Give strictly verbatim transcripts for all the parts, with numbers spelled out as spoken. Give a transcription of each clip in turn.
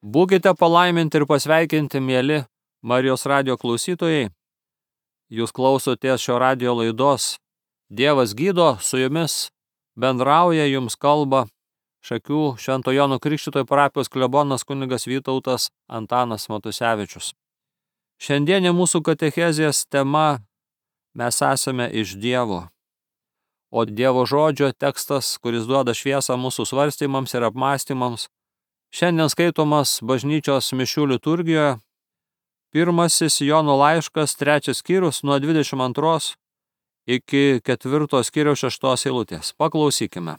Būkite palaiminti ir pasveikinti, mieli Marijos radijo klausytojai. Jūs klausotės šio radijo laidos Dievas gydo, su jumis bendrauja, jums kalba Šakių Švento Jono Krikštytojo parapijos klebonas kunigas Vytautas Antanas Matusevičius. Šiandienė mūsų katechezės tema mes esame iš Dievo. O Dievo žodžio tekstas, kuris duoda šviesą mūsų svarstymams ir apmąstymams, šiandien skaitomas bažnyčios mišių liturgijoje, pirmasis Jono laiškas, trečias skyrius nuo dvidešimt antros iki ketvirto skyriaus šeštos eilutės. Paklausykime.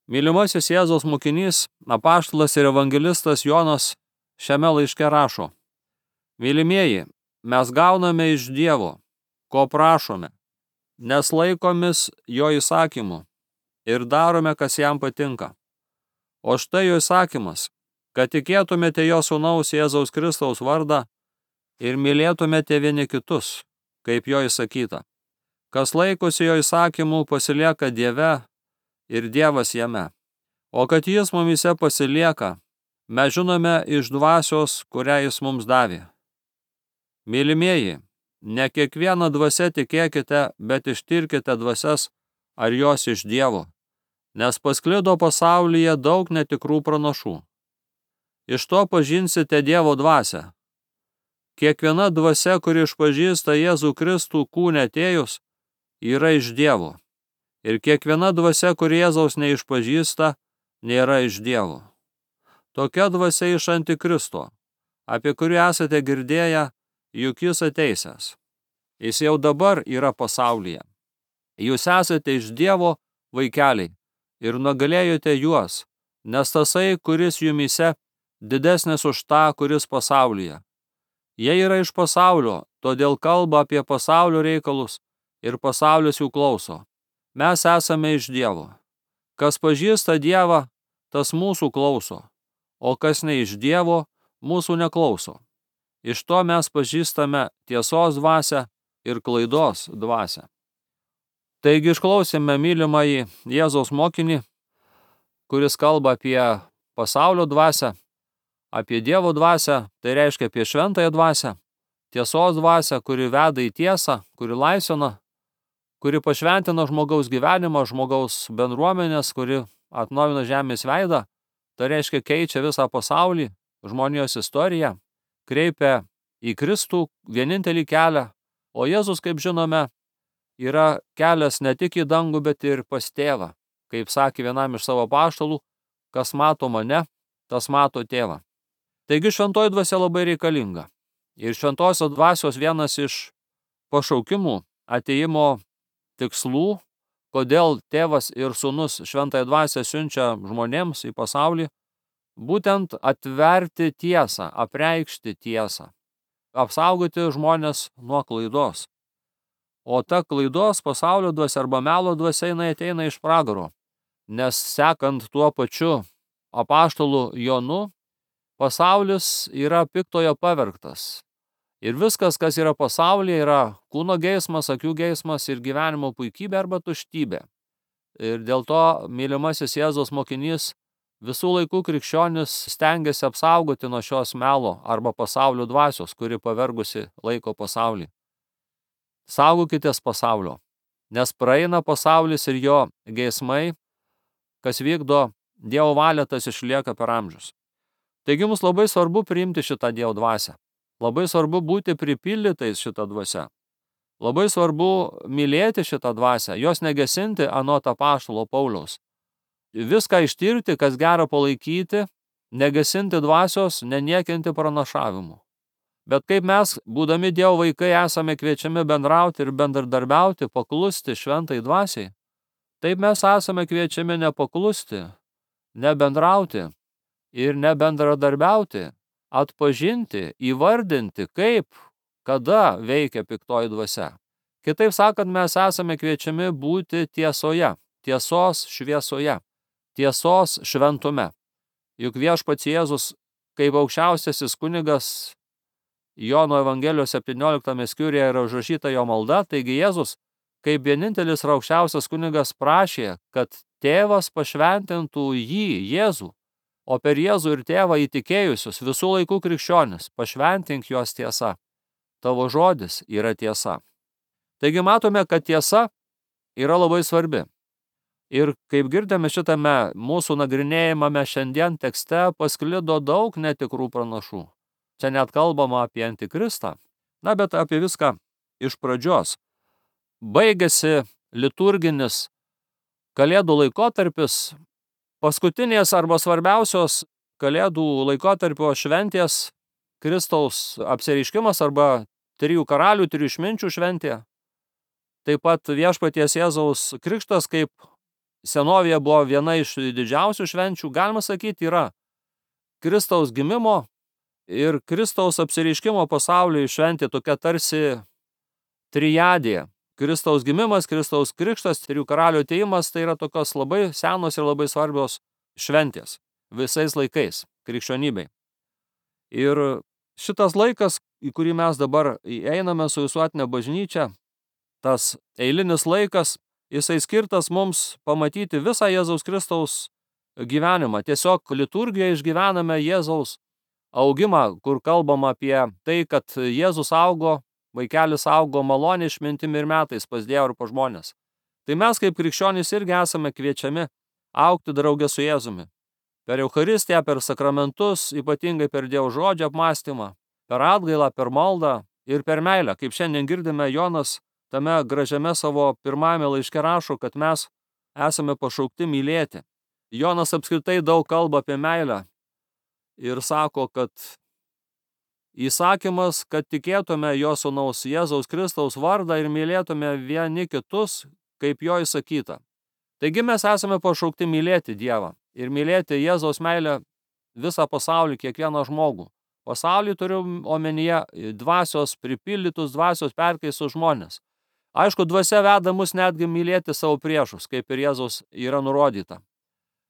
Mylimasis Jėzaus mokinys, apaštalas ir evangelistas Jonas šiame laiške rašo: Mylimieji, mes gauname iš Dievo, ko prašome, nes laikomis jo įsakymų ir darome, kas jam patinka. O štai jo įsakymas, kad tikėtumėte jo sūnaus Jėzaus Kristaus vardą ir mylėtumėte vieni kitus, kaip jo įsakyta. Kas laikosi jo įsakymų, pasilieka Dieve ir Dievas jame. O kad jis mumise pasilieka, mes žinome iš dvasios, kurią jis mums davė. Mylimieji, ne kiekvieną dvasią tikėkite, bet ištirkite dvasias, ar jos iš Dievo, nes pasklido pasaulyje daug netikrų pranašų. Iš to pažinsite Dievo dvasią. Kiekviena dvasia, kuri išpažįsta Jėzų Kristų kūne atėjus, yra iš Dievo. Ir kiekviena dvasia, kuri Jėzaus neišpažįsta, nėra iš Dievo. Tokia dvasia iš Antikristo, apie kurį esate girdėję, juk jis ateisęs. Jis jau dabar yra pasaulyje. Jūs esate iš Dievo vaikeliai ir nugalėjote juos, nes tasai, kuris jumyse, didesnis už tą, kuris pasaulyje. Jie yra iš pasaulio, todėl kalba apie pasaulio reikalus ir pasaulis jų klauso. Mes esame iš Dievo. Kas pažįsta Dievą, tas mūsų klauso, o kas ne iš Dievo, mūsų neklauso. Iš to mes pažįstame tiesos dvasią ir klaidos dvasią. Taigi išklausėme mylimąjį Jėzaus mokinį, kuris kalba apie pasaulio dvasią, apie Dievo dvasią, tai reiškia apie šventąją dvasią, tiesos dvasią, kuri veda į tiesą, kuri laisvina, kuri pašventina žmogaus gyvenimą, žmogaus bendruomenės, kuri atnaujina žemės veidą, tai reiškia keičia visą pasaulį, žmonijos istoriją, kreipia į Kristų vienintelį kelią, o Jėzus, kaip žinome, yra kelias ne tik į dangų, bet ir pas tėvą. Kaip sakė vienam iš savo apaštalų, kas mato mane, tas mato tėvą. Taigi šventoji dvasia labai reikalinga. Ir šventosios dvasios vienas iš pašaukimų, atėjimo tikslų, kodėl tėvas ir sūnus šventąją dvasią siunčia žmonėms į pasaulį, būtent atverti tiesą, apreikšti tiesą, apsaugoti žmonės nuo klaidos. O ta klaidos pasaulio dvasia arba melo dvasia jinai ateina iš pragaro, nes sekant tuo pačiu apaštalu Jonu, pasaulis yra piktojo pavergtas. Ir viskas, kas yra pasaulyje, yra kūno geismas, akių geismas ir gyvenimo puikybė arba tuštybė. Ir dėl to mylimasis Jėzaus mokinys visų laikų krikščionis stengiasi apsaugoti nuo šios melo arba pasaulio dvasios, kuri pavergusi laiko pasaulį. Saugokitės pasaulio, nes praeina pasaulis ir jo geismai, kas vykdo Dievo valią, tas išlieka per amžius. Taigi mums labai svarbu priimti šitą Dievo dvasią. Labai svarbu būti pripildytais šitą dvasią. Labai svarbu mylėti šitą dvasią, jos negesinti anot apaštalo Pauliaus. Viską ištirti, kas gera palaikyti, negesinti dvasios, neniekinti pranašavimu. Bet kaip mes, būdami Dievo vaikai, esame kviečiami bendrauti ir bendradarbiauti, paklusti šventai dvasiai, taip mes esame kviečiami nepaklusti, nebendrauti ir nebendradarbiauti, atpažinti, įvardinti, kaip, kada veikia piktoji dvasia. Kitaip sakant, mes esame kviečiami būti tiesoje, tiesos šviesoje, tiesos šventume. Juk viešpats Jėzus, kaip aukščiausiasis kunigas, Jono Evangelijos septynioliktame skyriuje yra užrašyta jo malda, taigi Jėzus, kaip vienintelis ir aukščiausias kunigas, prašė, kad tėvas pašventintų jį, Jėzų, o per Jėzų ir Tėvą įtikėjusius visų laikų krikščionis, pašventink juos tiesa. Tavo žodis yra tiesa. Taigi matome, kad tiesa yra labai svarbi. Ir kaip girdėme šitame mūsų nagrinėjimame šiandien tekste, pasklido daug netikrų pranašų. Čia net kalbama apie antikristą. Na, bet apie viską iš pradžios. Baigėsi liturginis Kalėdų laikotarpis, paskutinės arba svarbiausios Kalėdų laikotarpio šventės, Kristaus apsireiškimas arba trijų karalių, trijų išminčių šventė. Taip pat viešpaties Jėzaus krikštas, kaip senovėje buvo viena iš didžiausių švenčių, galima sakyti, yra Kristaus gimimo ir Kristaus apsireiškimo pasauliui šventė tokia tarsi trijadė. Kristaus gimimas, Kristaus krikštas, trijų karalių atėjimas, tai yra tokios labai senos ir labai svarbios šventės visais laikais krikščionybei. Ir šitas laikas, į kurį mes dabar einame su visuotinė bažnyčia, tas eilinis laikas, jisai skirtas mums pamatyti visą Jėzaus Kristaus gyvenimą. Tiesiog liturgijoje išgyvename Jėzaus augimą, kur kalbama apie tai, kad Jėzus augo, vaikelis augo malonė, išmintimi ir metais pas Dievą ir pas žmonės. Tai mes kaip krikščionys irgi esame kviečiami augti drauge su Jėzumi. Per Eucharistiją, per sakramentus, ypatingai per Dievo žodžio apmąstymą, per atgailą, per maldą ir per meilę. Kaip šiandien girdime, Jonas tame gražiame savo pirmajame laiške rašo, kad mes esame pašaukti mylėti. Jonas apskritai daug kalba apie meilę ir sako, kad įsakymas, kad tikėtume jo sūnaus Jėzaus Kristaus vardą ir mylėtume vieni kitus, kaip jo įsakyta. Taigi mes esame pašaukti mylėti Dievą ir mylėti Jėzaus meilę visą pasaulį, kiekvieną žmogų. Pasaulį turiu omenyje dvasios pripildytus, dvasios perkeistus žmonės. Aišku, dvasia veda mus netgi mylėti savo priešus, kaip ir Jėzaus yra nurodyta.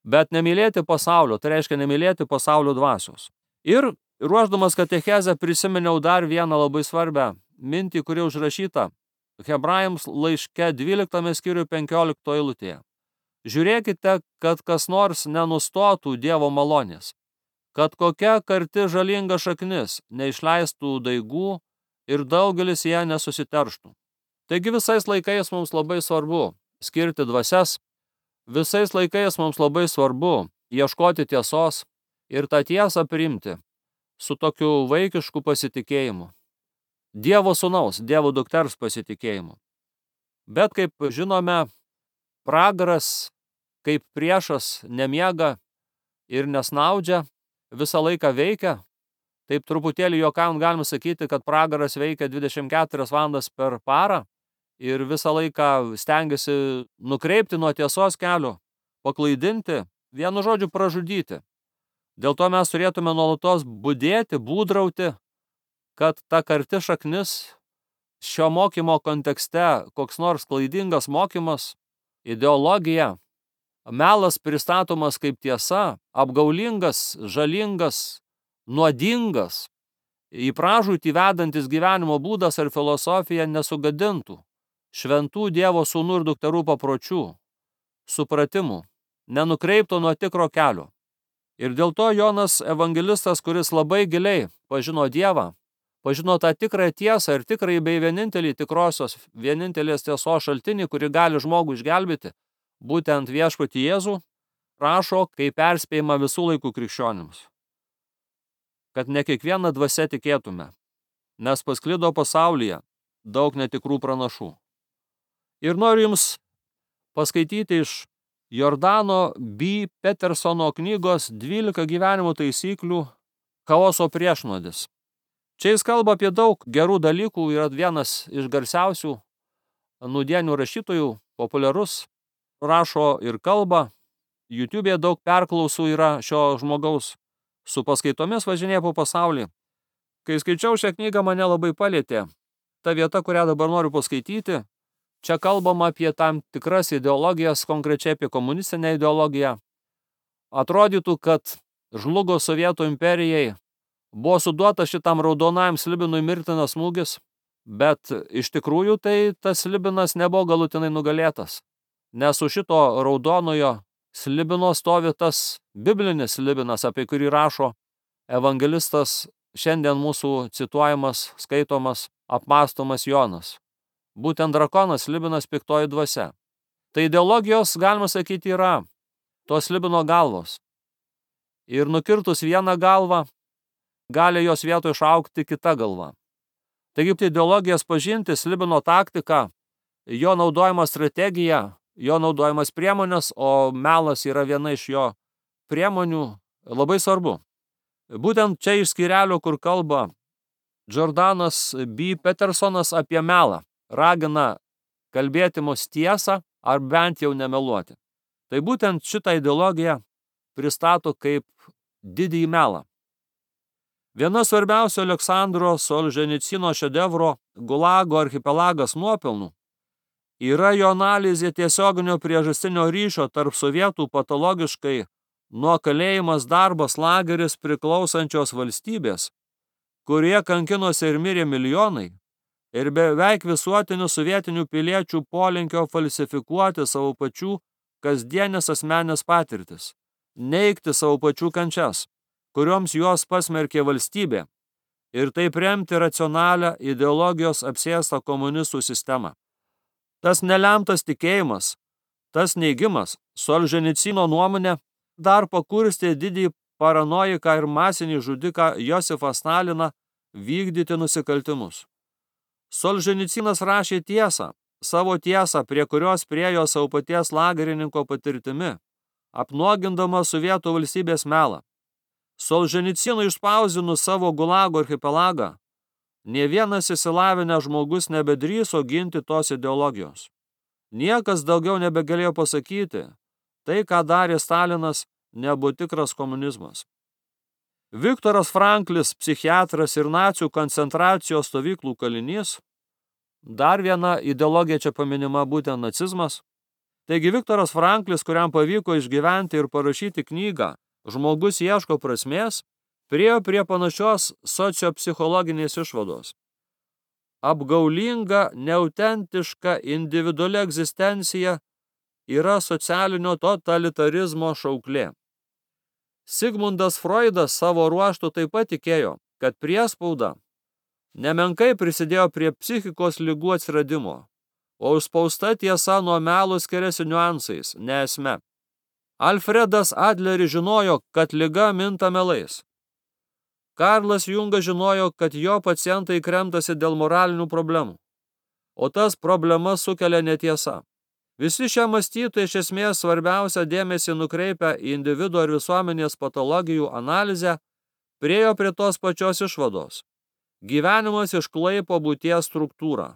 Bet nemylėti pasaulio, tai reiškia nemylėti pasaulio dvasios. Ir ruošdamas katechezę prisiminiau dar vieną labai svarbią mintį, kuri užrašyta Hebrajams laiške dvyliktame skyriuje penkioliktoje eilutėje. Žiūrėkite, kad kas nors nenustotų Dievo malonės, kad kokia karti žalinga šaknis neišleistų daigų ir daugelis ją nesusiterštų. Taigi visais laikais mums labai svarbu skirti dvasias, visais laikais mums labai svarbu ieškoti tiesos ir tą tiesą priimti su tokiu vaikišku pasitikėjimu. Dievo sūnaus, Dievo dukters pasitikėjimu. Bet kaip žinome, pragaras kaip priešas nemiega ir nesnaudžia, visą laiką veikia. Taip truputėlį juokaujant galima sakyti, kad pragaras veikia dvidešimt keturias valandas per parą ir visą laiką stengiasi nukreipti nuo tiesos kelio, paklaidinti, vienu žodžiu pražudyti. Dėl to mes turėtume nuolatos budėti, būdrauti, kad ta karti šaknis šio mokymo kontekste, koks nors klaidingas mokymas, ideologija, melas pristatomas kaip tiesa, apgaulingas, žalingas, nuodingas, į pražūtį vedantis gyvenimo būdas ar filosofija nesugadintų šventų Dievo sūnų ir dukterų papročių, supratimų, nenukreiptų nuo tikro kelio. Ir dėl to Jonas evangelistas, kuris labai giliai pažino Dievą, pažino tą tikrąją tiesą ir tikrąjį bei vienintelį tikrosios, vienintelės tiesos šaltinį, kuri gali žmogų išgelbėti, būtent viešpatį Jėzų, rašo kaip perspėjimą visų laikų krikščionims, kad ne kiekvieną dvasią tikėtume, nes pasklido pasaulyje daug netikrų pranašų. Ir noriu jums paskaityti iš Jordano B. Petersono knygos dvylika gyvenimo taisyklių chaoso priešnodis. Čia jis kalba apie daug gerų dalykų, yra vienas iš garsiausių nūdienių rašytojų, populiarus, rašo ir kalba, YouTube'e daug perklausų yra šio žmogaus, su paskaitomis važinėja po pasaulį. Kai skaičiau šią knygą, mane labai palietė ta vieta, kurią dabar noriu paskaityti. Čia kalbama apie tam tikras ideologijas, konkrečiai apie komunistinę ideologiją. Atrodytų, kad žlugo Sovietų imperijai, buvo suduota šitam raudonajam slibinui mirtinas smūgis, bet iš tikrųjų tai tas slibinas nebuvo galutinai nugalėtas, nes už šito raudonojo Slibino stovi tas biblinis slibinas, apie kurį rašo evangelistas šiandien mūsų cituojamas, skaitomas, apmąstomas Jonas. Būtent drakonas, slibinas, piktoji dvasia. Tai ideologijos, galima sakyti, yra tos slibino galvos. Ir nukirtus vieną galvą, gali jos vietoje išaugti kita galva. Taigi ideologijas pažinti, slibino taktika, jo naudojama strategija, jo naudojamas priemonės, o melas yra viena iš jo priemonių, labai svarbu. Būtent čia iš skyrelio, kur kalba Jordanas B. Petersonas apie melą, ragina kalbėti mus tiesą ar bent jau nemeluoti. Tai būtent šitą ideologiją pristato kaip didįjį melą. Viena svarbiausių Aleksandro Solženicino šedevro Gulago archipelagas nuopelnų yra jo analizė tiesioginio priežastinio ryšio tarp sovietų patologiškai nuo kalėjimas darbas lageris priklausančios valstybės, kurie kankinosi ir mirė milijonai, ir beveik visuotinių sovietinių piliečių polinkio falsifikuoti savo pačių kasdienės asmenės patirtis, neigti savo pačių kančias, kurioms juos pasmerkė valstybė, ir taip remti racionalią ideologijos apsėstą komunistų sistemą. Tas nelemtas tikėjimas, tas neigimas, Solženicino nuomonė, dar pakurstė didį paranojiką ir masinį žudiką Josifą Staliną vykdyti nusikaltimus. Solženicinas rašė tiesą, savo tiesą, prie kurios priejo savo paties lagerininko patirtimi, apnuogindama sovietų valstybės melą. Solženicinui išspausdinus savo Gulago archipelagą, nė vienas išsilavinęs žmogus nebedrįso ginti tos ideologijos. Niekas daugiau nebegalėjo pasakyti, tai, ką darė Stalinas, nebuvo tikras komunizmas. Viktoras Franklis, psichiatras ir nacių koncentracijos stovyklų kalinys, dar viena ideologija čia paminima būtent nacizmas. Taigi Viktoras Franklis, kuriam pavyko išgyventi ir parašyti knygą Žmogus ieško prasmės, priėjo prie panašios sociopsichologinės išvados. Apgaulinga, neautentiška individuali egzistencija yra socialinio totalitarizmo šauklė. Sigmundas Freudas savo ruožtu taip pat tikėjo, kad priespauda nemenkai prisidėjo prie psichikos ligų atsiradimo, o užspausta tiesa nuo melo skiriasi niuansais, ne esme. Alfredas Adleris žinojo, kad liga minta melais. Karlas Jungas žinojo, kad jo pacientai kremtasi dėl moralinių problemų, o tas problemas sukelia netiesa. Visi šie mąstytojai iš esmės svarbiausią dėmesį nukreipia į individo ir visuomenės patologijų analizę, priėjo prie tos pačios išvados. Gyvenimas išklaipo būties struktūrą.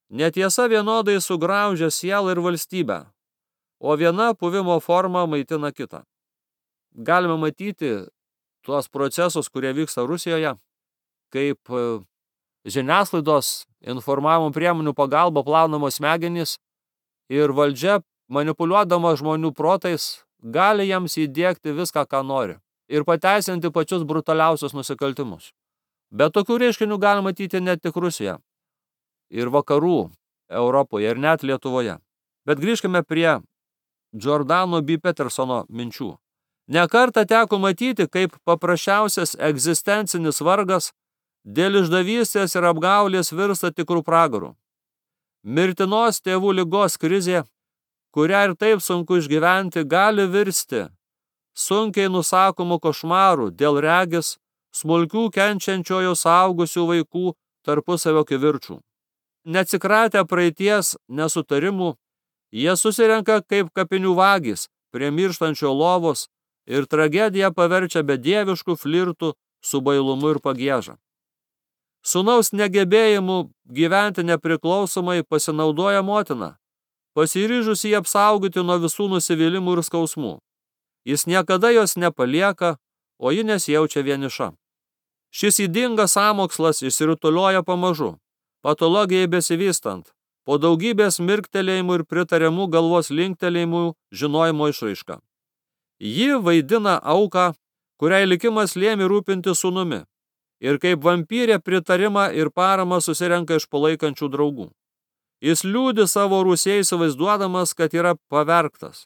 Netiesa vienodai sugraužia sielą ir valstybę, o viena buvimo forma maitina kitą. Galime matyti tuos procesus, kurie vyksta Rusijoje, kaip žiniasklaidos informavimo priemonių pagalba plaunamos smegenys ir valdžia, manipuliuodama žmonių protais, gali jiems įdiegti viską, ką nori ir pateisinti pačius brutaliausius nusikaltimus. Bet tokių reiškinių galima matyti ne tik Rusijoje, ir vakarų Europoje, ir net Lietuvoje. Bet grįžkime prie Jordano B. Petersono minčių. Ne kartą teko matyti, kaip paprasčiausias egzistencinis vargas dėl išdavystės ir apgaulės virsta tikrų pragarų. Mirtinos tėvų ligos krizė, kurią ir taip sunku išgyventi, gali virsti sunkiai nusakomų košmarų dėl regis smulkių kenčiančiojo suaugusių vaikų tarpusavio kivirčų. Neatsikratę praeities nesutarimų, jie susirenka kaip kapinių vagys prie mirštančio lovos ir tragediją paverčia bedieviškų flirtų su bailumu ir pagieža. Sūnaus negebėjimu gyventi nepriklausomai pasinaudoja motina, pasiryžusi jį apsaugoti nuo visų nusivylimų ir skausmų. Jis niekada jos nepalieka, o ji nesijaučia vieniša. Šis ydingas sąmokslas išsirutulioja pamažu, patologijai besivystant, po daugybės mirktelėjimų ir pritariamų galvos linktelėjimų žinojimo išraiška. Ji vaidina auką, kuriai likimas lėmė rūpinti sūnumi, ir kaip vampyrė pritarimą ir paramą susirenka iš palaikančių draugų. Jis liūdi savo rūsiai įsivaizduodamas, kad yra pavergtas.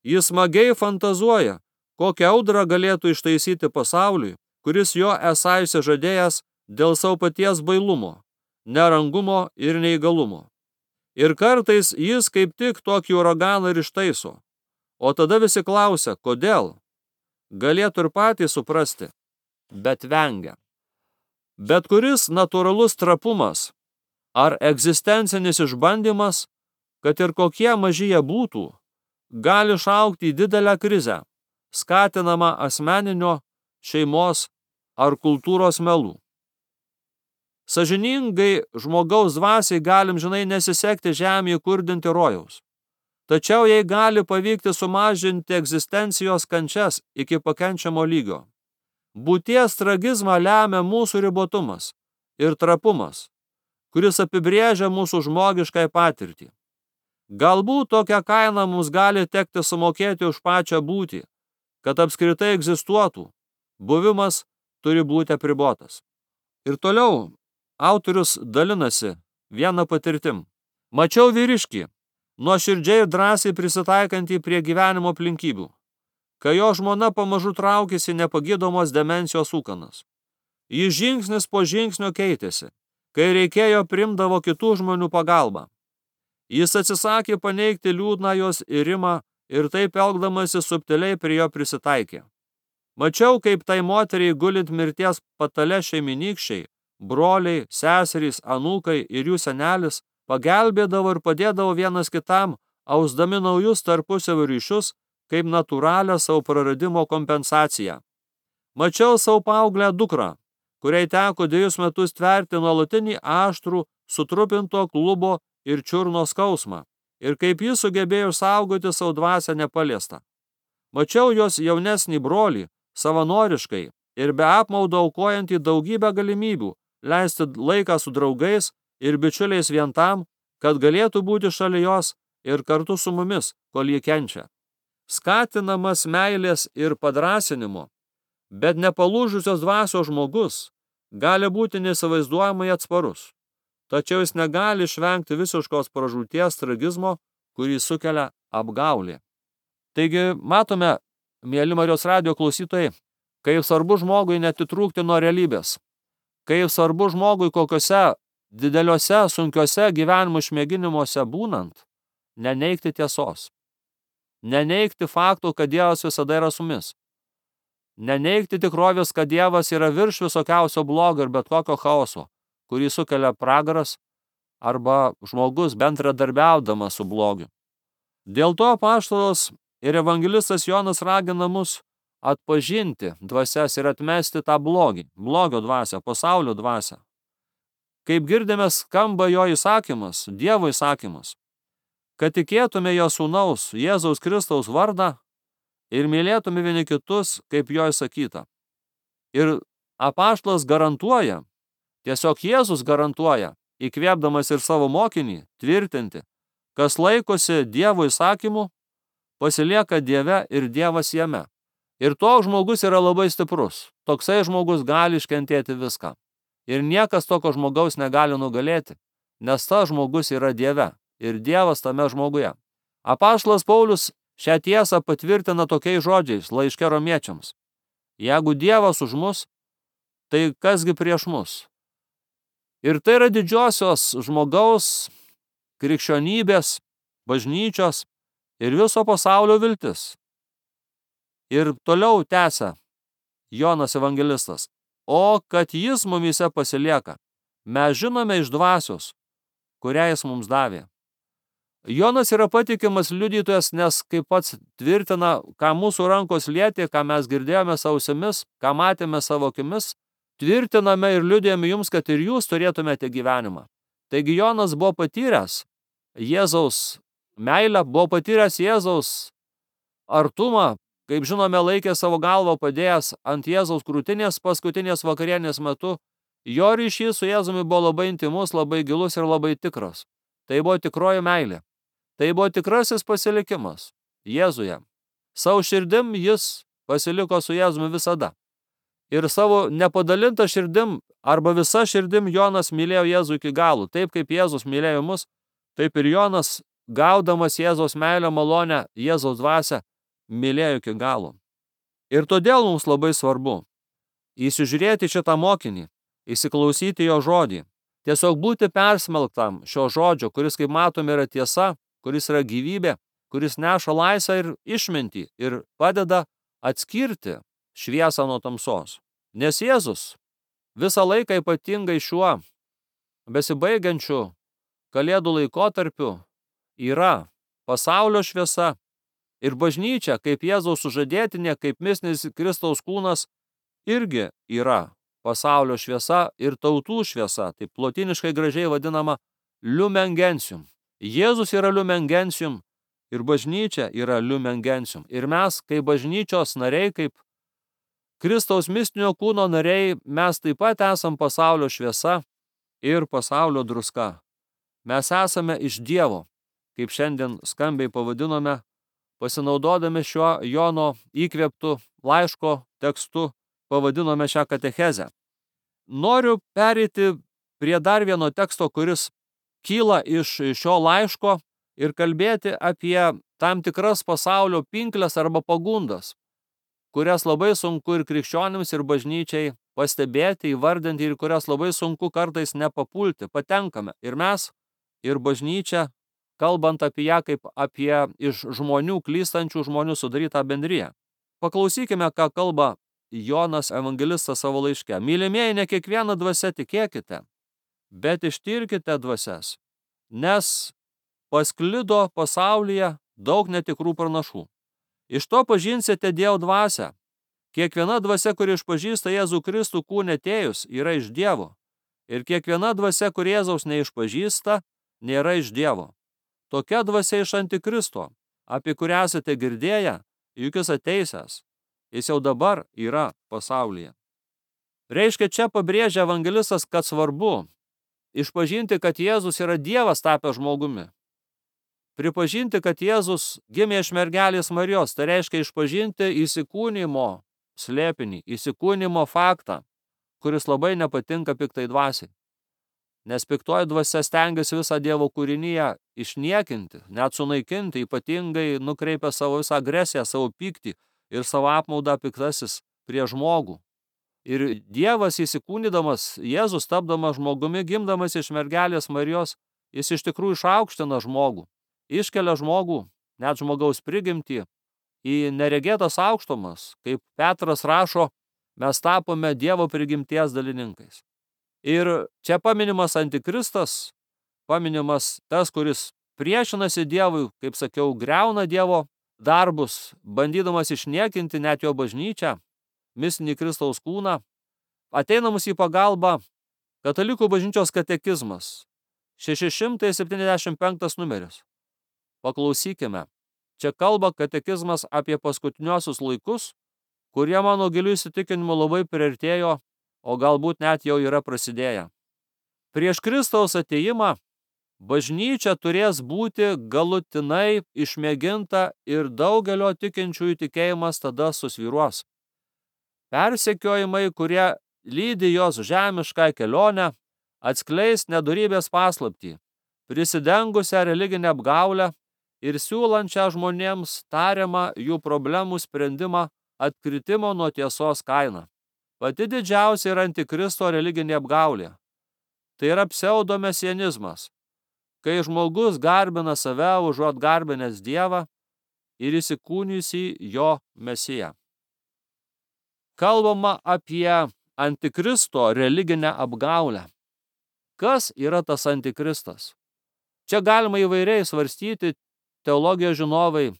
Jis smagiai fantazuoja, kokią audrą galėtų ištaisyti pasauliui, kuris jo esą išsižadėjęs dėl savo paties bailumo, nerangumo ir neįgalumo. Ir kartais jis kaip tik tokį uraganą ir ištaiso. O tada visi klausia, kodėl? Galėtų ir patys suprasti, bet vengia. Bet kuris natūralus trapumas ar egzistencinis išbandymas, kad ir kokie maži jie būtų, gali išaugti į didelę krizę, skatinamą asmeninio, šeimos ar kultūros melų. Sąžiningai žmogaus dvasiai galim žinai nesisekti žemėje kurdinti rojaus. Tačiau jai gali pavykti sumažinti egzistencijos kančias iki pakenčiamo lygio. Būties tragizmą lemia mūsų ribotumas ir trapumas, kuris apibrėžia mūsų žmogiškai patirtį. Galbūt tokią kainą mums gali tekti sumokėti už pačią būtį, kad apskritai egzistuotų. Buvimas turi būti apribotas. Ir toliau autorius dalinasi vieną patirtim. Mačiau vyriškį, nuoširdžiai ir drąsiai prisitaikantį prie gyvenimo aplinkybių, kai jo žmona pamažu traukėsi nepagydomos demencijos ūkanas. Jis žingsnis po žingsnio keitėsi, kai reikėjo primdavo kitų žmonių pagalbą. Jis atsisakė paneigti liūdną jos irimą ir taip elgdamasi subtiliai prie jo prisitaikė. Mačiau, kaip tai moteriai gulint mirties patale šeiminykščiai, broliai, seserys, anūkai ir jų senelis pagelbėdavo ir padėdavo vienas kitam, ausdami naujus tarpusavio ryšius, kaip natūralią savo praradimo kompensaciją. Mačiau savo paauglę dukrą, kuriai teko dviejus metus tverti nuolatinį aštrų, sutrupinto klubo ir čiurno skausmą, ir kaip jis sugebėjo saugoti savo dvasią nepaliestą. Mačiau jos jaunesnį brolį, savanoriškai ir be apmaudo aukojantį daugybę galimybių leisti laiką su draugais ir bičiuliais vien tam, kad galėtų būti šalia jos ir kartu su mumis, kol jie kenčia. Skatinamas meilės ir padrąsinimo, bet nepalūžusios dvasios žmogus gali būti neįsivaizduojamai atsparus, tačiau jis negali išvengti visiškos pražūties tragizmo, kurį sukelia apgaulė. Taigi, matome, mieli Marijos radijo klausytojai, kaip svarbu žmogui netitrūkti nuo realybės, kaip svarbu žmogui kokiuose dideliuose, sunkiuose gyvenimo išmėginimuose būnant, neneigti tiesos, neneigti faktų, kad Dievas visada yra su mumis, neneigti tikrovės, kad Dievas yra virš visokiausio blogio ir bet kokio chaoso, kurį sukelia pragaras arba žmogus bendradarbiaudamas su blogiu. Dėl to apaštalas ir evangelistas Jonas ragina mus atpažinti dvasias ir atmesti tą blogį, blogio dvasią, pasaulio dvasią. Kaip girdime, skamba jo įsakymas, Dievo įsakymas, kad tikėtume jo sūnaus Jėzaus Kristaus vardą ir mylėtume vieni kitus, kaip jo įsakyta. Ir apaštalas garantuoja, tiesiog Jėzus garantuoja, įkvėpdamas ir savo mokinį, tvirtinti, kas laikosi Dievo įsakymų, pasilieka Dieve ir Dievas jame. Ir toks žmogus yra labai stiprus. Toksai žmogus gali iškentėti viską. Ir niekas tokio žmogaus negali nugalėti, nes tas žmogus yra Dieve ir Dievas tame žmoguje. Apaštalas Paulius šią tiesą patvirtina tokiais žodžiais laiške romiečiams. Jeigu Dievas už mus, tai kasgi prieš mus? Ir tai yra didžiosios žmogaus, krikščionybės, bažnyčios ir viso pasaulio viltis. Ir toliau tęsia Jonas evangelistas. O kad jis mumyse pasilieka, mes žinome iš dvasios, kurią jis mums davė. Jonas yra patikimas liudytojas, nes kaip pats tvirtina, ką mūsų rankos lietė, ką mes girdėjome savo ausimis, ką matėme savo akimis, tvirtiname ir liudijame jums, kad ir jūs turėtumėte gyvenimą. Taigi Jonas buvo patyręs Jėzaus meilę, buvo patyręs Jėzaus artumą, kaip žinome, laikė savo galvą padėjęs ant Jėzaus krūtinės paskutinės vakarienės metu. Jo ryšys su Jėzumi buvo labai intimus, labai gilus ir labai tikras. Tai buvo tikroji meilė. Tai buvo tikrasis pasilikimas Jėzuje. Savo širdim jis pasiliko su Jėzumi visada. Ir savo nepadalintą širdim arba visa širdim Jonas mylėjo Jėzų iki galų. Taip kaip Jėzus mylėjo mus, taip ir Jonas, gaudamas Jėzaus meilę, malonę, Jėzaus dvasią, mylėjo iki galo. Ir todėl mums labai svarbu įsižiūrėti šitą mokinį, įsiklausyti jo žodį, tiesiog būti persmelktam šio žodžio, kuris, kaip matome, yra tiesa, kuris yra gyvybė, kuris neša laisvę ir išmintį ir padeda atskirti šviesą nuo tamsos. Nes Jėzus visą laiką, ypatingai šiuo besibaigiančiu Kalėdų laikotarpiu, yra pasaulio šviesa ir bažnyčia, kaip Jėzaus sužadėtinė, kaip mistinis Kristaus kūnas, irgi yra pasaulio šviesa ir tautų šviesa, taip lotiniškai gražiai vadinama lumen gentium. Jėzus yra lumen gentium ir bažnyčia yra lumen gentium. Ir mes, kaip bažnyčios nariai, kaip Kristaus mistinio kūno nariai, mes taip pat esam pasaulio šviesa ir pasaulio druska. Mes esame iš Dievo, kaip šiandien skambiai pavadinome, pasinaudodami šiuo Jono įkvėptu laiško tekstu, pavadinome šią katechezę. Noriu pereiti prie dar vieno teksto, kuris kyla iš šio laiško ir kalbėti apie tam tikras pasaulio pinkles arba pagundas, kurias labai sunku ir krikščionims, ir bažnyčiai pastebėti, įvardinti ir kurias labai sunku kartais nepapulti. Patenkame ir mes, ir bažnyčia, kalbant apie ją kaip apie iš žmonių, klystančių žmonių sudarytą bendriją. Paklausykime, ką kalba Jonas evangelistas savo laiške. Mylimieji, ne kiekvieną dvasią tikėkite, bet ištirkite dvasias, nes pasklido pasaulyje daug netikrų pranašų. Iš to pažinsite Dievo dvasią. Kiekviena dvasia, kuri išpažįsta Jėzų Kristų kūne atėjus, yra iš Dievo. Ir kiekviena dvasia, kur Jėzaus neišpažįsta, nėra iš Dievo. Tokia dvasia iš Antikristo, apie kurią esate girdėję, juk jis ateisęs. Jis jau dabar yra pasaulyje. Reiškia, čia pabrėžia evangelistas, kad svarbu išpažinti, kad Jėzus yra Dievas tapęs žmogumi. Pripažinti, kad Jėzus gimė iš mergelės Marijos, tai reiškia išpažinti įsikūnimo slėpinį, įsikūnimo faktą, kuris labai nepatinka piktai dvasiai. Nes piktoji dvasia stengiasi visą Dievo kūrinyje išniekinti, net sunaikinti, ypatingai nukreipia savo visą agresiją, savo pyktį ir savo apmaudą piktasis prie žmogų. Ir Dievas įsikūnydamas, Jėzus tapdamas žmogumi, gimdamas iš mergelės Marijos, jis iš tikrųjų išaukština žmogų, iškelia žmogų, net žmogaus prigimtį, į neregėtas aukštumas. Kaip Petras rašo, mes tapome Dievo prigimties dalininkais. Ir čia paminimas Antikristas, paminimas tas, kuris priešinasi Dievui, kaip sakiau, griauna Dievo darbus, bandydamas išniekinti net jo bažnyčią, mistinį Kristaus kūną. Ateina mums į pagalbą Katalikų bažnyčios katekizmas, šeši šimtai septyniasdešimt penktas numeris. Paklausykime. Čia kalba katekizmas apie paskutiniuosius laikus, kurie mano giliu įsitikinimu labai priartėjo, o galbūt net jau yra prasidėję. Prieš Kristaus atėjimą bažnyčia turės būti galutinai išmėginta ir daugelio tikinčiųjų tikėjimas tada susvyruos. Persekiojimai, kurie lydi jos žemišką kelionę, atskleis nedorybės paslaptį, prisidengusią religinę apgaulę ir siūlančią žmonėms tariamą jų problemų sprendimą atkritimo nuo tiesos kainą. Pati didžiausia yra Antikristo religinė apgaulė. Tai yra pseudomesianizmas, kai žmogus garbina save užuot garbinęs Dievą ir įsikūnijusį jo Mesiją. Kalbama apie Antikristo religinę apgaulę. Kas yra tas Antikristas? Čia galima įvairiai svarstyti, teologijos žinovai,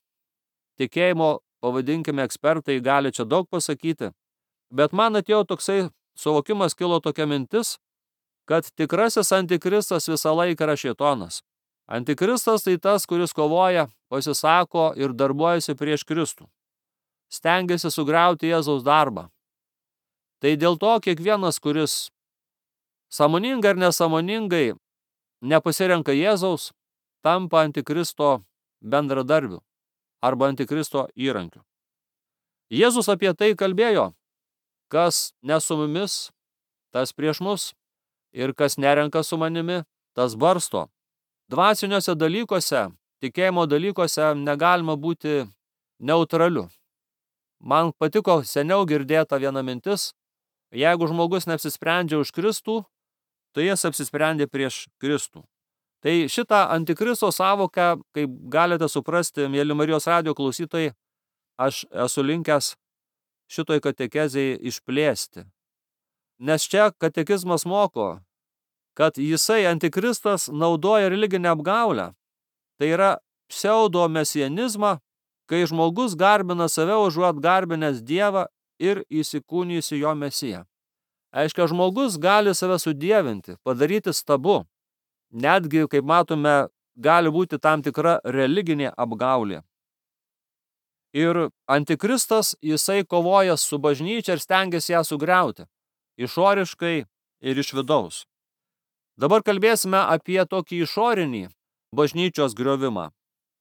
tikėjimo, pavadinkime, ekspertai gali čia daug pasakyti, bet man atėjo toksai suvokimas, kilo tokia mintis, kad tikrasis Antikristas visą laiką yra šėtonas. Antikristas tai tas, kuris kovoja, pasisako ir darbuojasi prieš Kristų. Stengiasi sugriauti Jėzaus darbą. Tai dėl to kiekvienas, kuris sąmoningai ar nesąmoningai nepasirenka Jėzaus, tampa Antikristo bendradarbiu arba Antikristo įrankiu. Jėzus apie tai kalbėjo, kas ne su mumis, tas prieš mus, ir kas nerenka su manimi, tas barsto. Dvasiniuose dalykuose, tikėjimo dalykuose negalima būti neutraliu. Man patiko seniau girdėta viena mintis, jeigu žmogus neapsisprendžia už Kristų, tai jis apsisprendė prieš Kristų. Tai šitą antikristo sąvoką, kaip galite suprasti, mėly Marijos radijo klausytojai, aš esu linkęs šitoj katekezei išplėsti. Nes čia katekizmas moko, kad jisai antikristas naudoja religinę apgaulę. Tai yra pseudomesianizmą, kai žmogus garbina save užuot garbinęs Dievą ir įsikūnijusi jo Mesiją. Aiškia, žmogus gali save sudievinti, padaryti stabu. Netgi, kaip matome, gali būti tam tikra religinė apgaulė. Ir antikristas, jisai kovoja su bažnyčia ir stengiasi ją sugriauti, išoriškai ir iš vidaus. Dabar kalbėsime apie tokį išorinį bažnyčios griovimą,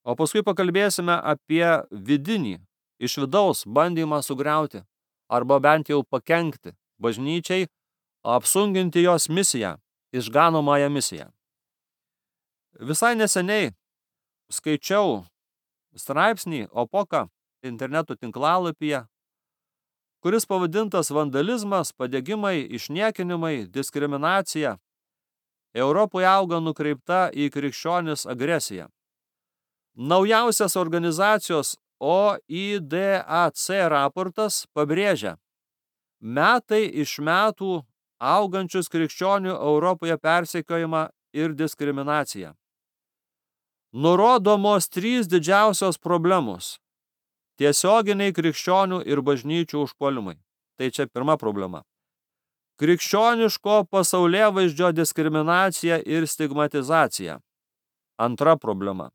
o paskui pakalbėsime apie vidinį, iš vidaus bandymą sugriauti, arba bent jau pakenkti bažnyčiai, apsunkinti jos misiją, išganomąją misiją. Visai neseniai skaičiau straipsnį Opoka interneto tinklalapyje, kuris pavadintas vandalizmas, padegimai, išniekinimai, diskriminacija. Europoje auga nukreipta į krikščionis agresija. Naujausias organizacijos O I D A C raportas pabrėžia metai iš metų augančius krikščionių Europoje persekiojimą ir diskriminaciją. Nurodomos trys didžiausios problemos – tiesioginiai krikščionių ir bažnyčių užpuolimai. Tai čia pirma problema. Krikščioniško pasaulėvaizdžio diskriminacija ir stigmatizacija. Antra problema.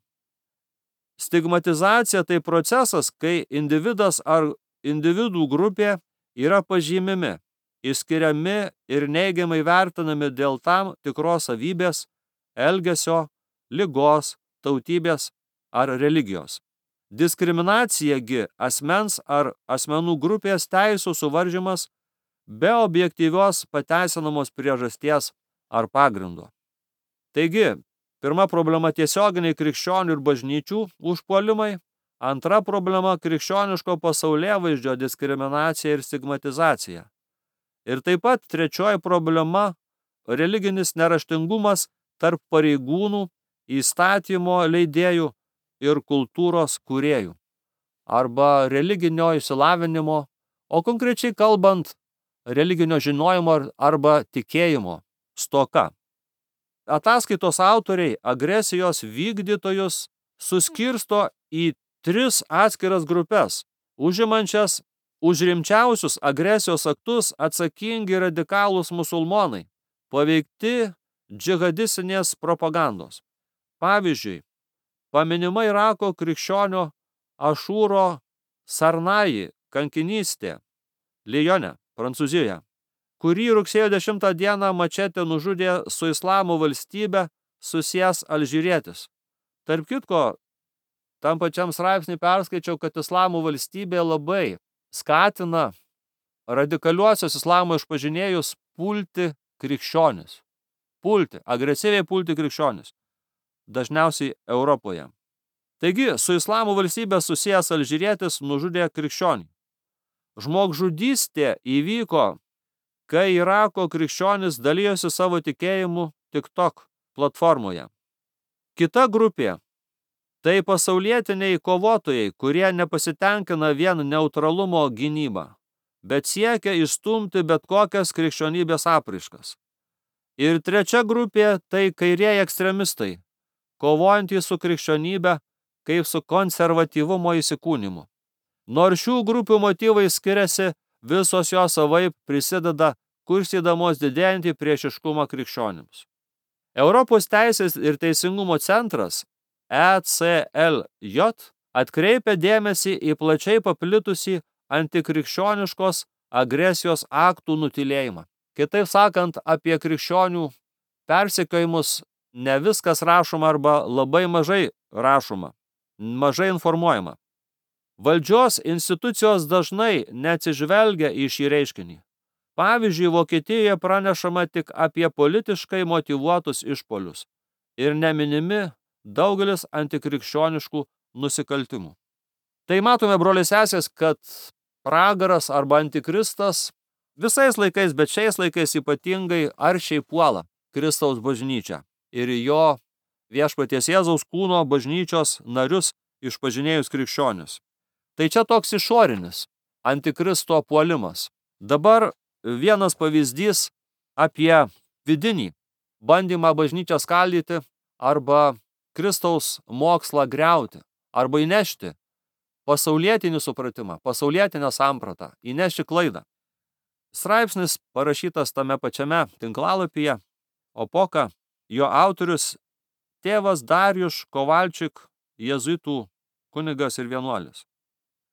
Stigmatizacija tai procesas, kai individas ar individų grupė yra pažymimi, išskiriami ir neigiamai vertinami dėl tam tikros savybės, elgesio, ligos, tautybės ar religijos. Diskriminacijagi asmens ar asmenų grupės teisų suvaržymas be objektyvios pateisinamos priežasties ar pagrindo. Taigi, pirma problema – tiesioginiai krikščionių ir bažnyčių užpuolimai, antra problema – krikščioniško pasaulėvaizdžio diskriminacija ir stigmatizacija. Ir taip pat trečioji problema – religinis neraštingumas tarp pareigūnų, įstatymo leidėjų ir kultūros kūrėjų, arba religinio išsilavinimo, o konkrečiai kalbant, religinio žinojimo arba tikėjimo stoka. Ataskaitos autoriai agresijos vykdytojus suskirsto į tris atskiras grupes, užimančias už rimčiausius agresijos aktus atsakingi radikalūs musulmonai, paveikti džihadistinės propagandos. Pavyzdžiui, paminima Irako krikščionio Ašūro Sarnaji kankinystė Lijone, Prancūzijoje, kurį rugsėjo dešimtą dieną mačetė nužudė su Islamo valstybe susijęs alžyrietis. Tarp kitko, tam pačiam straipsnį perskaičiau, kad Islamo valstybė labai skatina radikaliuosius islamo išpažinėjus pulti krikščionis. Pulti, agresyviai pulti krikščionis. Dažniausiai Europoje. Taigi, su Islamo valstybė susijęs alžyrietis nužudė krikščionį. Žmogžudystė įvyko, kai Irako krikščionis dalijosi savo tikėjimu TikTok platformoje. Kita grupė – tai pasaulietiniai kovotojai, kurie nepasitenkina vien neutralumo gynybą, bet siekia išstumti bet kokias krikščionybės apraiškas. Ir trečia grupė – tai kairieji ekstremistai, kovojantys su krikščionybė kaip su konservatyvumo įsikūnimu. Nors šių grupių motyvai skiriasi, visos jos savaip prisideda kursydamos didėjantį priešiškumą krikščionims. Europos teisės ir teisingumo centras E C L J atkreipia dėmesį į plačiai paplitusį antikrikščioniškos agresijos aktų nutylėjimą. Kitaip sakant, apie krikščionių persekiojimus ne viskas rašoma arba labai mažai rašoma, mažai informuojama. Valdžios institucijos dažnai neatsižvelgia į šį reiškinį. Pavyzdžiui, Vokietijoje pranešama tik apie politiškai motyvuotus išpuolius ir neminimi daugelis antikrikščioniškų nusikaltimų. Tai matome, broliai sesės, kad pragaras arba antikristas visais laikais, bet šiais laikais ypatingai aršiai puola Kristaus bažnyčią ir jo viešpaties Jėzaus kūno bažnyčios narius išpažinėjus krikščionis. Tai čia toks išorinis antikristo puolimas. Dabar vienas pavyzdys apie vidinį bandymą bažnyčią skaldyti arba Kristaus mokslą griauti arba įnešti pasaulietinį supratimą, pasaulietinę sampratą, įnešti klaidą. Straipsnis parašytas tame pačiame tinklalapyje, Opoka, jo autorius tėvas Darjuš Kovalčik, jėzuitų kunigas ir vienuolis.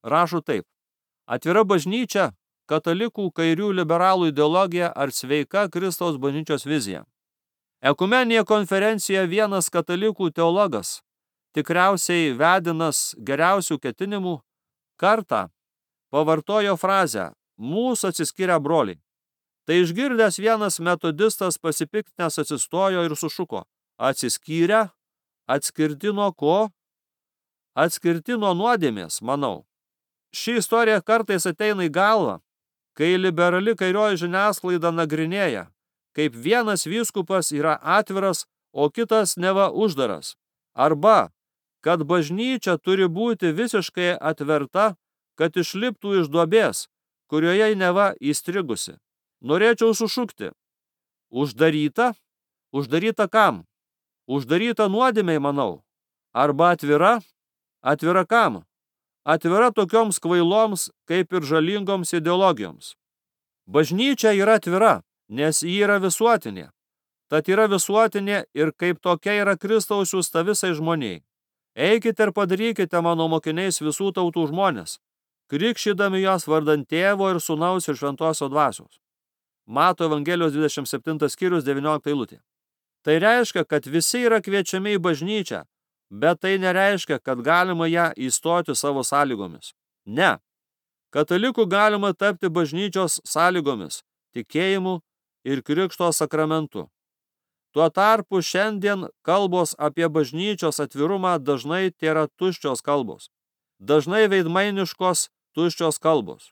Rašo taip: atvira bažnyčia, katalikų kairių liberalų ideologija ar sveika Kristaus bažnyčios vizija. Ekumeninėje konferencijoje vienas katalikų teologas, tikriausiai vedinas geriausių ketinimų, kartą pavartojo frazę mūsų atsiskyrę broliai. Tai išgirdęs vienas metodistas pasipiktinęs atsistojo ir sušuko: atsiskyrę, atskirti nuo ko? Atskirti nuo nuodėmės, manau. Ši istorija kartais ateina į galvą, kai liberali kairioji žiniasklaida nagrinėja, kaip vienas vyskupas yra atviras, o kitas neva uždaras. Arba, kad bažnyčia turi būti visiškai atverta, kad išliptų iš duobės, kurioje neva įstrigusi. Norėčiau sušukti: uždaryta? Uždaryta kam? Uždaryta nuodėmei, manau. Arba atvira? Atvira kam? Atvira tokioms kvailoms, kaip ir žalingoms ideologijoms. Bažnyčia yra atvira, nes ji yra visuotinė. Tad yra visuotinė ir kaip tokia yra Kristaus siųsta visai žmoniai. Eikite ir padarykite mano mokiniais visų tautų žmonės, krikštydami juos vardant Tėvo ir Sūnaus ir Šventosios dvasios. Mato Evangelijos dvidešimt septintas skyrius devyniolikta eilutė. Tai reiškia, kad visi yra kviečiami į bažnyčią, bet tai nereiškia, kad galima ją įstoti savo sąlygomis. Ne. Katalikų galima tapti bažnyčios sąlygomis, tikėjimu ir krikšto sakramentu. Tuo tarpu šiandien kalbos apie bažnyčios atvirumą dažnai tėra tuščios kalbos. Dažnai veidmainiškos tuščios kalbos.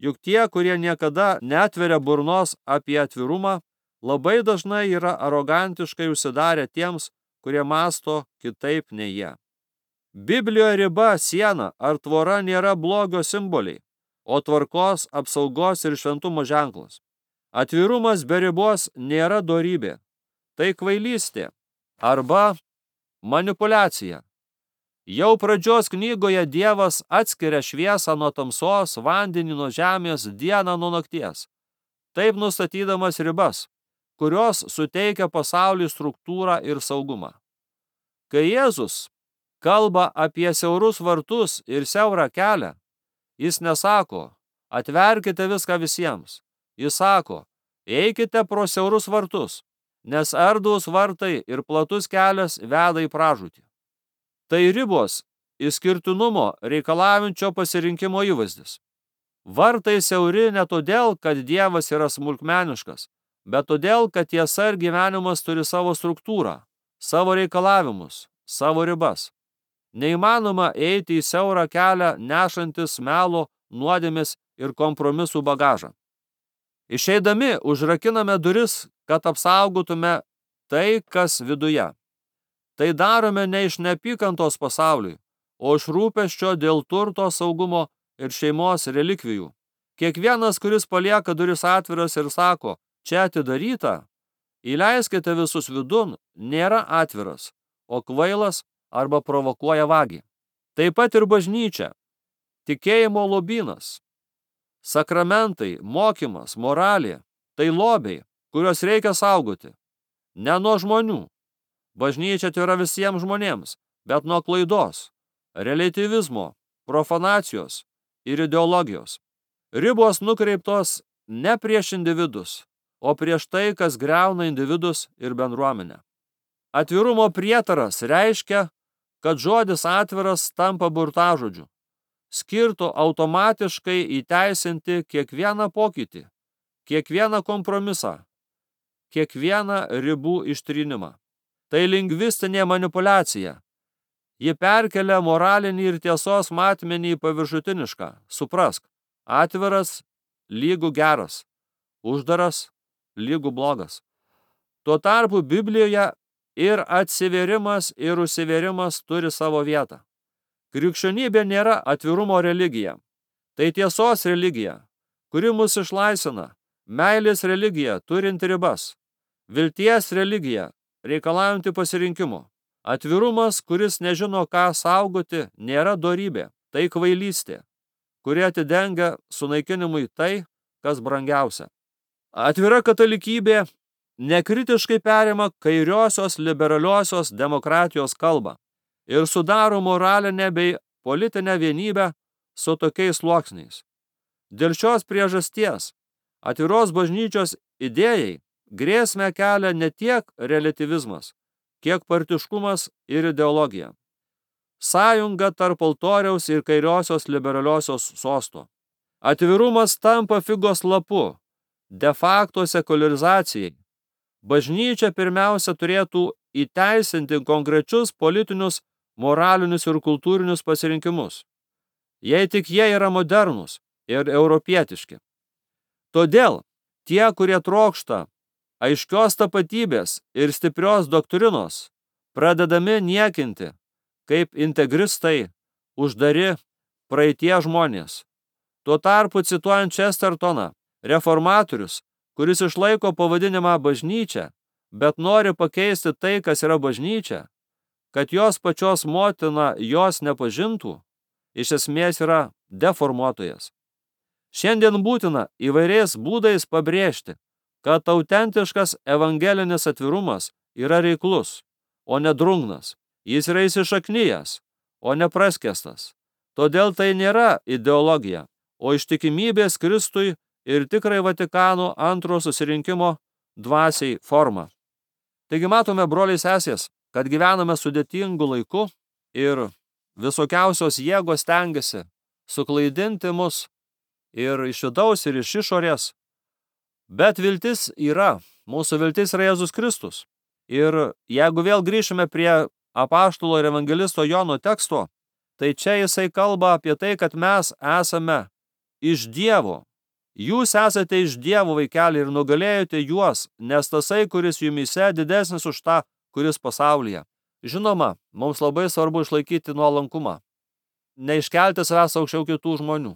Juk tie, kurie niekada netveria burnos apie atvirumą, labai dažnai yra arogantiškai užsidarę tiems, kurie mąsto kitaip nei jie. Biblijoje riba, siena ar tvora nėra blogio simboliai, o tvarkos, apsaugos ir šventumo ženklas. Atvirumas be ribos nėra dorybė. Tai kvailystė arba manipuliacija. Jau pradžios knygoje Dievas atskiria šviesą nuo tamsos, vandenį nuo žemės, dieną nuo nakties, taip nustatydamas ribas, kurios suteikia pasauliui struktūrą ir saugumą. Kai Jėzus kalba apie siaurus vartus ir siaurą kelią, jis nesako: atverkite viską visiems. Jis sako: eikite pro siaurus vartus, nes erdvūs vartai ir platus kelias veda į pražūtį. Tai ribos išskirtinumo reikalaujančio pasirinkimo įvaizdis. Vartai siauri ne todėl, kad Dievas yra smulkmeniškas, bet todėl, kad tiesa ir gyvenimas turi savo struktūrą, savo reikalavimus, savo ribas. Neįmanoma eiti į siaurą kelią nešantis melo, nuodėmės ir kompromisų bagažą. Išeidami užrakiname duris, kad apsaugotume tai, kas viduje. Tai darome ne iš neapykantos pasauliui, o iš rūpesčio dėl turto, saugumo ir šeimos relikvijų. Kiekvienas, kuris palieka duris atviras ir sako: čia atidaryta, įleiskite visus vidun, nėra atviras, o kvailas arba provokuoja vagį. Taip pat ir bažnyčia, tikėjimo lobynas, sakramentai, mokymas, moralė, tai lobiai, kuriuos reikia saugoti. Ne nuo žmonių. Bažnyčia tai yra visiems žmonėms, bet nuo klaidos, reliatyvizmo, profanacijos ir ideologijos. Ribos nukreiptos ne prieš individus, o prieš tai, kas griauna individus ir bendruomenę. Atvirumo prietaras reiškia, kad žodis atviras tampa burtažodžiu, skirtu automatiškai įteisinti kiekvieną pokytį, kiekvieną kompromisą, kiekvieną ribų ištrynimą. Tai lingvistinė manipuliacija. Ji perkelia moralinį ir tiesos matmenį į paviršutinišką. Suprask, atviras lygų geras, uždaras lygų blogas. Tuo tarpu Biblijoje ir atsivėrimas, ir užsivėrimas turi savo vietą. Krikščionybė nėra atvirumo religija. Tai tiesos religija, kuri mus išlaisvina, meilės religija, turinti ribas, vilties religija, reikalaujanti pasirinkimo. Atvirumas, kuris nežino, ką saugoti, nėra dorybė, tai kvailystė, kuri atidengia sunaikinimui tai, kas brangiausia. Atvira katalikybė nekritiškai perima kairiosios liberaliosios demokratijos kalbą ir sudaro moralinę bei politinę vienybę su tokiais sluoksniais. Dėl šios priežasties atviros bažnyčios idėjai grėsmę kelia ne tiek relativizmas, kiek partiškumas ir ideologija. Sąjunga tarp altoriaus ir kairiosios liberaliosios sosto. Atvirumas tampa figos lapu, de facto sekuliarizacijai. Bažnyčia pirmiausia turėtų įteisinti konkrečius politinius, moralinius ir kultūrinius pasirinkimus, jei tik jie yra modernūs ir europietiški. Todėl tie, kurie trokšta aiškios tapatybės ir stiprios doktrinos, pradedami niekinti kaip integristai, uždari praeitie žmonės. Tuo tarpu, cituojant Chestertoną, reformatorius, kuris išlaiko pavadinimą bažnyčia, bet nori pakeisti tai, kas yra bažnyčia, kad jos pačios motina jos nepažintų, iš esmės yra deformuotojas. Šiandien būtina įvairiais būdais pabrėžti, kad autentiškas evangelinis atvirumas yra reiklus, o ne drungnas. Jis yra įsišaknyjęs, o ne praskestas. Todėl tai nėra ideologija, o ištikimybės Kristui ir tikrai Vatikano antro susirinkimo dvasiai forma. Taigi matome, broliai sesės, kad gyvename sudėtingu laiku ir visokiausios jėgos stengiasi suklaidinti mus ir iš vidaus, ir iš išorės. Bet viltis yra, mūsų viltis yra Jėzus Kristus. Ir jeigu vėl grįšime prie apaštalo ir evangelisto Jono teksto, tai čia jisai kalba apie tai, kad mes esame iš Dievo. Jūs esate iš Dievo, vaikeliai, ir nugalėjote juos, nes tasai, kuris jumyse, didesnis už tą, kuris pasaulyje. Žinoma, mums labai svarbu išlaikyti nuolankumą. Neiškelti savęs aukščiau kitų žmonių.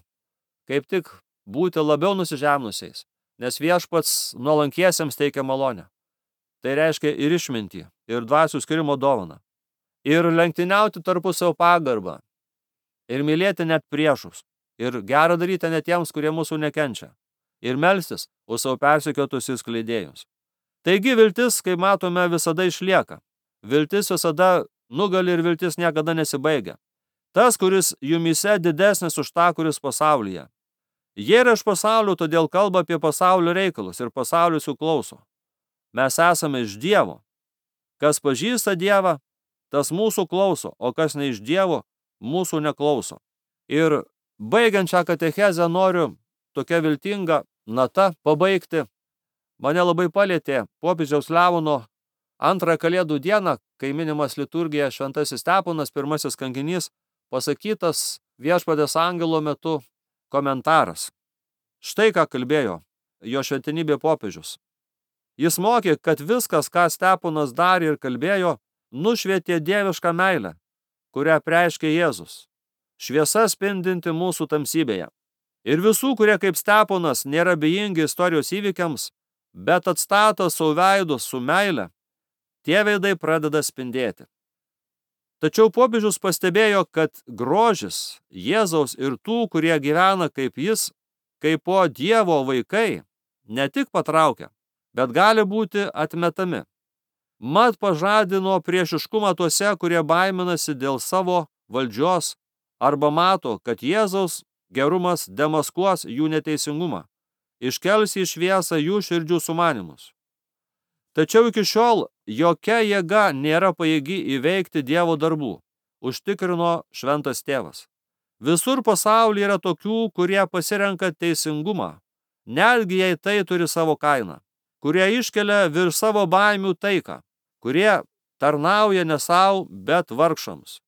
Kaip tik būti labiau nusižemnusiais, nes viešpats nuolankiesiems teikia malonę. Tai reiškia ir išmintį, ir dvasių skyrimo dovaną. Ir lenktyniauti tarpusavio pagarbą, ir mylėti net priešus, ir gerą daryti net tiems, kurie mūsų nekenčia, ir melstis už savo persekiotus įskleidėjus. Taigi viltis, kaip matome, visada išlieka. Viltis visada nugali ir viltis niekada nesibaigia. Tas, kuris jumyse didesnis už tą, kuris pasaulyje. Jie yra iš pasaulio, todėl kalba apie pasaulio reikalus ir pasaulis jų klauso. Mes esame iš Dievo. Kas pažįsta Dievą, tas mūsų klauso, o kas ne iš Dievo, mūsų neklauso. Ir baigiant šią katechezę noriu tokia viltinga nata pabaigti. Mane labai palietė popiežiaus Leono antrą Kalėdų dieną, kai minimas liturgija Šventasis Steponas, pirmasis kankinys, pasakytas viešpaties angelo metu komentaras. Štai ką kalbėjo jo šventenybė popiežius. Jis mokė, kad viskas, ką Steponas darė ir kalbėjo, nušvietė dievišką meilę, kurią preiškė Jėzus, šviesa spindinti mūsų tamsybėje. Ir visų, kurie kaip Steponas nėra abejingi istorijos įvykiams, bet atstato savo veidus su meile, tie veidai pradeda spindėti. Tačiau popiežius pastebėjo, kad grožis Jėzaus ir tų, kurie gyvena kaip jis, kaip po Dievo vaikai, ne tik patraukia, bet gali būti atmetami. Mat pažadino priešiškumą tuose, kurie baiminasi dėl savo valdžios arba mato, kad Jėzaus gerumas demaskuos jų neteisingumą, iškels į šviesą jų širdžių sumanymus. Tačiau iki šiol jokia jėga nėra pajėgi įveikti Dievo darbų, užtikrino šventas tėvas. Visur pasaulyje yra tokių, kurie pasirenka teisingumą, netgi jei tai turi savo kainą, kurie iškelia virš savo baimių taiką, kurie tarnauja ne savo, bet vargšams,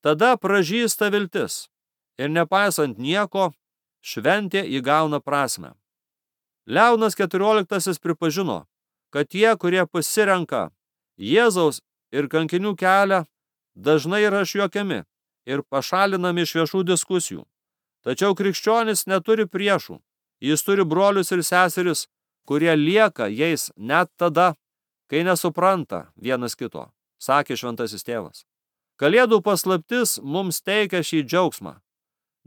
tada pražysta viltis ir nepaisant nieko, šventė įgauna prasmę. Leonas keturioliktasis pripažino, kad tie, kurie pasirenka Jėzaus ir kankinių kelią, dažnai yra išjuokiami ir pašalinami iš viešų diskusijų. Tačiau krikščionis neturi priešų, jis turi brolius ir seseris, kurie lieka jais net tada, kai nesupranta vienas kito, sakė šventasis tėvas. Kalėdų paslaptis mums teikia šį džiaugsmą.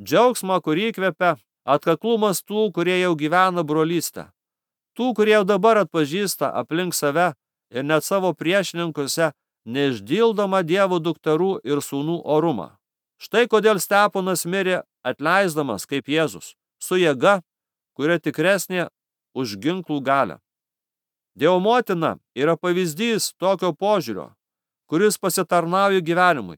Džiaugsmą, kurį įkvepia atkaklumas tų, kurie jau gyvena brolystę. Tų, kurie jau dabar atpažįsta aplink save ir net savo priešininkuose neišdildomą Dievo dukterų ir sūnų orumą. Štai kodėl Steponas mirė atleisdamas kaip Jėzus, su jėga, kuria tikresnė už ginklų galią. Dievo motina yra pavyzdys tokio požiūrio, kuris pasitarnauja gyvenimui,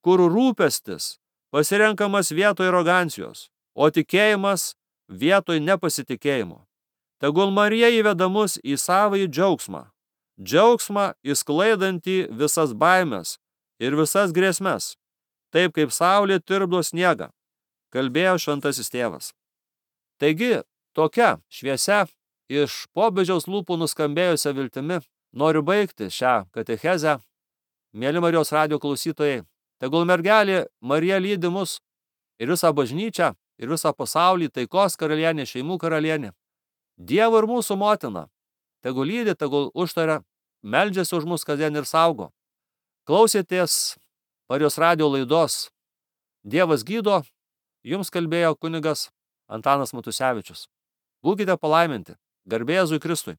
kur rūpestis pasirenkamas vietoj arogancijos, o tikėjimas vietoj nepasitikėjimo. Tegul Marija įveda mus į savąjį džiaugsmą, džiaugsmą įsklaidantį visas baimes ir visas grėsmes, taip kaip saulė tirpdo sniegą, kalbėjo šventasis tėvas. Taigi, tokia šviesia iš popiežiaus lūpų nuskambėjusią viltimi noriu baigti šią katechezę. Mėly Marijos radijo klausytojai, tegul mergelė Marija lydi mus ir visą bažnyčią, ir visą pasaulį, taikos karalienė, šeimų karalienė, Dievo ir mūsų motina, tegul lydi, tegul užtaria, meldžiasi už mus kasdien ir saugo. Klausėtės Marijos radijo laidos Dievas gydo, jums kalbėjo kunigas Antanas Matusevičius. Būkite palaiminti, garbė Jėzui Kristui.